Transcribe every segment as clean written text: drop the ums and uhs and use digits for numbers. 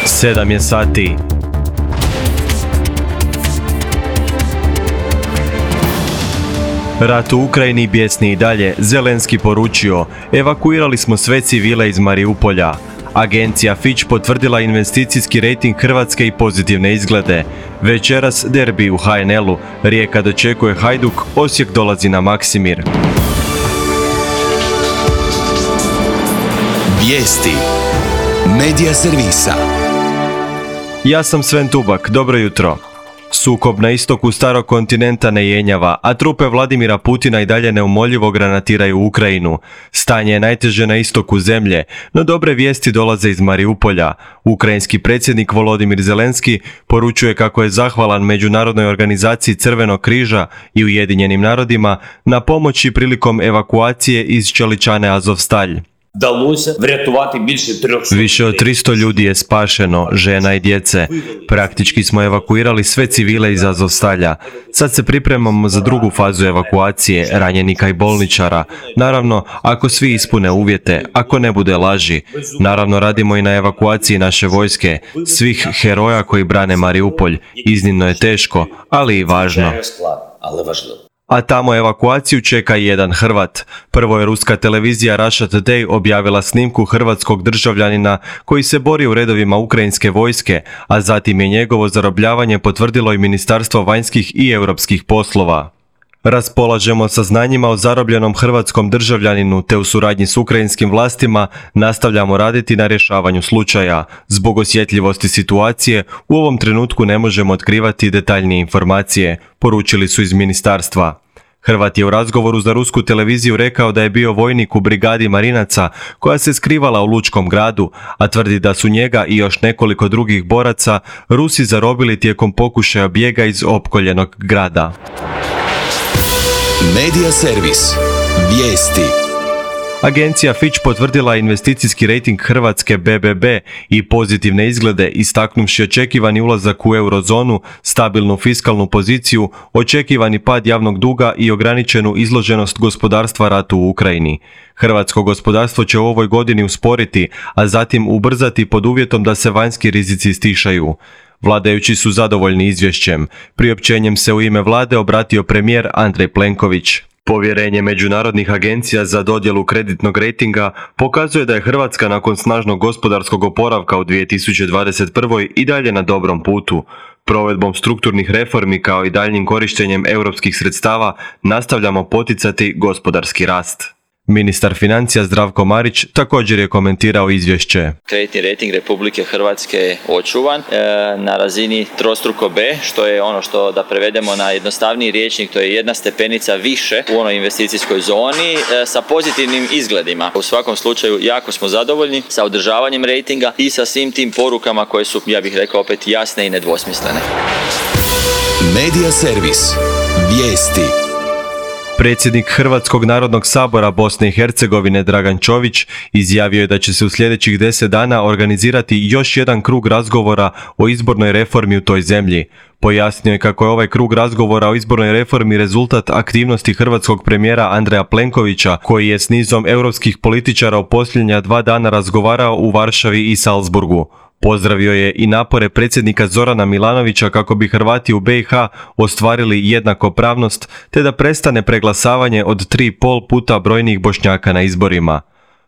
7 je sati. Rat u Ukrajini bijesni i dalje. Zelenski poručio: evakuirali smo sve civile iz Mariupolja. Agencija Fitch potvrdila investicijski rejting Hrvatske i pozitivne izglede. Večeras derbi u HNL-u. Rijeka dočekuje Hajduk, Osijek dolazi na Maksimir. Vijesti Medija servisa. Ja sam Sven Tubak, dobro jutro. Sukob na istoku starog kontinenta ne jenjava, a trupe Vladimira Putina i dalje neumoljivo granatiraju Ukrajinu. Stanje je najteže na istoku zemlje, no dobre vijesti dolaze iz Mariupolja. Ukrajinski predsjednik Volodimir Zelenski poručuje kako je zahvalan Međunarodnoj organizaciji Crvenog križa i Ujedinjenim narodima na pomoći prilikom evakuacije iz čeličane Azovstalj. Više od 300 ljudi je spašeno, žena i djece. Praktički smo evakuirali sve civile iz Azovstalja. Sad se pripremamo za drugu fazu evakuacije, ranjenika i bolničara. Naravno, ako svi ispune uvjete, ako ne bude laži. Naravno, radimo i na evakuaciji naše vojske, svih heroja koji brane Mariupolj. Iznimno je teško, ali i važno. A tamo evakuaciju čeka jedan Hrvat. Prvo je ruska televizija Russia Today objavila snimku hrvatskog državljanina koji se bori u redovima ukrajinske vojske, a zatim je njegovo zarobljavanje potvrdilo i Ministarstvo vanjskih i europskih poslova. Raspolažemo saznanjima o zarobljenom hrvatskom državljaninu te u suradnji s ukrajinskim vlastima nastavljamo raditi na rješavanju slučaja. Zbog osjetljivosti situacije u ovom trenutku ne možemo otkrivati detaljnije informacije, poručili su iz ministarstva. Hrvat je u razgovoru za rusku televiziju rekao da je bio vojnik u brigadi marinaca koja se skrivala u Lučkom gradu, a tvrdi da su njega i još nekoliko drugih boraca Rusi zarobili tijekom pokušaja bijega iz opkoljenog grada. Medija servis. Vijesti. Agencija Fitch potvrdila investicijski rejting Hrvatske BBB i pozitivne izglede, istaknuvši očekivani ulazak u eurozonu, stabilnu fiskalnu poziciju, očekivani pad javnog duga i ograničenu izloženost gospodarstva ratu u Ukrajini. Hrvatsko gospodarstvo će u ovoj godini usporiti, a zatim ubrzati pod uvjetom da se vanjski rizici stišaju. Vladajući su zadovoljni izvješćem. Priopćenjem se u ime vlade obratio premijer Andrej Plenković. Povjerenje međunarodnih agencija za dodjelu kreditnog rejtinga pokazuje da je Hrvatska nakon snažnog gospodarskog oporavka u 2021. i dalje na dobrom putu. Provedbom strukturnih reformi kao i daljnjim korištenjem europskih sredstava nastavljamo poticati gospodarski rast. Ministar financija Zdravko Marić također je komentirao izvješće. Kreditni rejting Republike Hrvatske je očuvan na razini trostruko B, što je ono što da prevedemo na jednostavniji rječnik, to je jedna stepenica više u onoj investicijskoj zoni sa pozitivnim izgledima. U svakom slučaju jako smo zadovoljni sa održavanjem rejtinga i sa svim tim porukama koje su, ja bih rekao, opet jasne i nedvosmislene. Medija servis. Vijesti. Predsjednik Hrvatskog narodnog sabora Bosne i Hercegovine Dragan Čović izjavio je da će se u sljedećih 10 dana organizirati još jedan krug razgovora o izbornoj reformi u toj zemlji. Pojasnio je kako je ovaj krug razgovora o izbornoj reformi rezultat aktivnosti hrvatskog premijera Andreja Plenkovića, koji je s nizom europskih političara u posljednja 2 dana razgovarao u Varšavi i Salzburgu. Pozdravio je i napore predsjednika Zorana Milanovića kako bi Hrvati u BiH ostvarili jednakopravnost te da prestane preglasavanje od 3,5 puta brojnijih Bošnjaka na izborima.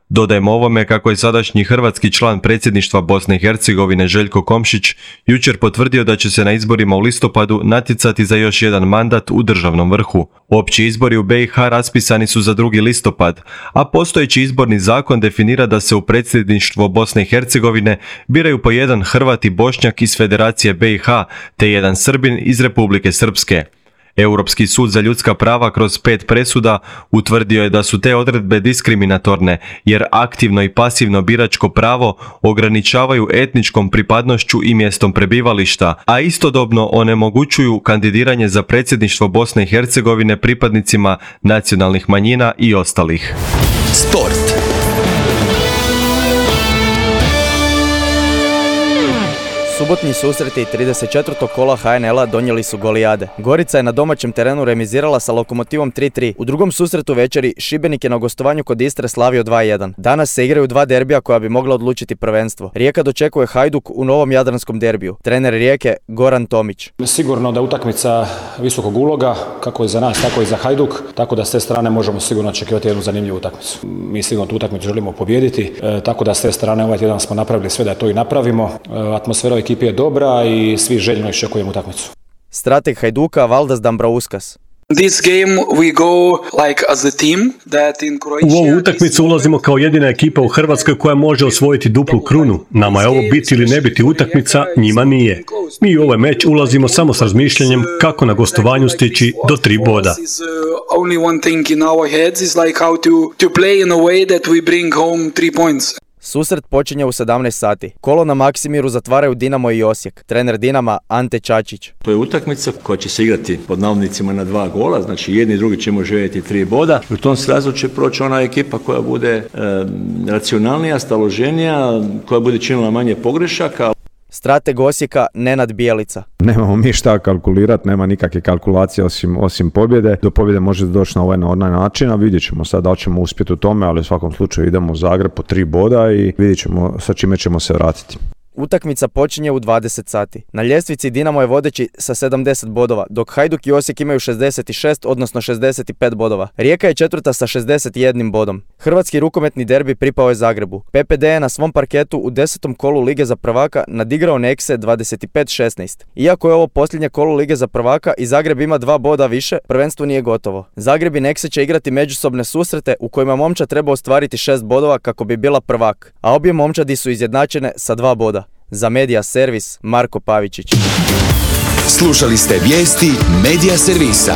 Dodajmo ovome kako je sadašnji hrvatski član predsjedništva Bosne i Hercegovine Željko Komšić jučer potvrdio da će se na izborima u listopadu natjecati za još jedan mandat u državnom vrhu. Opći izbori u BiH raspisani su za 2. listopad, a postojeći izborni zakon definira da se u predsjedništvo Bosne i Hercegovine biraju po jedan Hrvat i Bošnjak iz Federacije BiH te jedan Srbin iz Republike Srpske. Europski sud za ljudska prava kroz 5 presuda utvrdio je da su te odredbe diskriminatorne jer aktivno i pasivno biračko pravo ograničavaju etničkom pripadnošću i mjestom prebivališta, a istodobno onemogućuju kandidiranje za predsjedništvo Bosne i Hercegovine pripadnicima nacionalnih manjina i ostalih. Subota Subotnji susreti 34. kola HNL-a donijeli su golijade. Gorica je na domaćem terenu remizirala sa Lokomotivom 3-3. U drugom susretu večeri Šibenik je na gostovanju kod Istre slavio 2-1. Danas se igraju dva derbija koja bi mogla odlučiti prvenstvo. Rijeka dočekuje Hajduk u novom jadranskom derbiju. Trener Rijeke Goran Tomić. Sigurno da utakmica visokog uloga, kako je za nas, tako i za Hajduk, tako da s te strane možemo sigurno očekivati jednu zanimljivu utakmicu. Mi sigurno tu utakmicu želimo pobijediti, tako da s te strane ovaj tjedan smo napravili sve da to i napravimo. Atmosfera u ekipi je dobra i svi željno iščekujemo utakmicu. Strateg Hajduka Valdas Dambrauskas. U ovu utakmicu ulazimo kao jedina ekipa u Hrvatskoj koja može osvojiti duplu krunu. Nama je ovo biti ili ne biti utakmica, njima nije. Mi u ovaj meč ulazimo samo s razmišljanjem kako na gostovanju stići do 3 boda. Susret počinje u 17 sati. Kolo na Maksimiru zatvaraju Dinamo i Osijek. Trener Dinama Ante Čačić. To je utakmica koja će se igrati pod navodnicima na 2 gola, znači jedni i drugi ćemo željeti 3 boda. U tom srazu će proći ona ekipa koja bude racionalnija, staloženija, koja bude činila manje pogrešaka. Strateg Osijeka Nenad Bijelica. Nemamo mi šta kalkulirati, nema nikakve kalkulacije osim pobjede. Do pobjede može doći na ovaj na onaj način, a vidjet ćemo sad da ćemo uspjeti u tome, ali u svakom slučaju idemo u Zagreb po 3 boda i vidjet ćemo sa čime ćemo se vratiti. Utakmica počinje u 20 sati. Na ljestvici Dinamo je vodeći sa 70 bodova, dok Hajduk i Osijek imaju 66, odnosno 65 bodova. Rijeka je četvrta sa 61 bodom. Hrvatski rukometni derbi pripao je Zagrebu. PPD je na svom parketu u 10. kolu Lige za prvaka nadigrao Nexe 25-16. Iako je ovo posljednje kolo Lige za prvaka i Zagreb ima 2 boda više, prvenstvo nije gotovo. Zagreb i Nexe će igrati međusobne susrete u kojima momčad treba ostvariti 6 bodova kako bi bila prvak, a obje momčadi su izjednačene sa 2 boda. Za Medija Servis Marko Pavičić. Slušali ste vijesti Medija Servisa.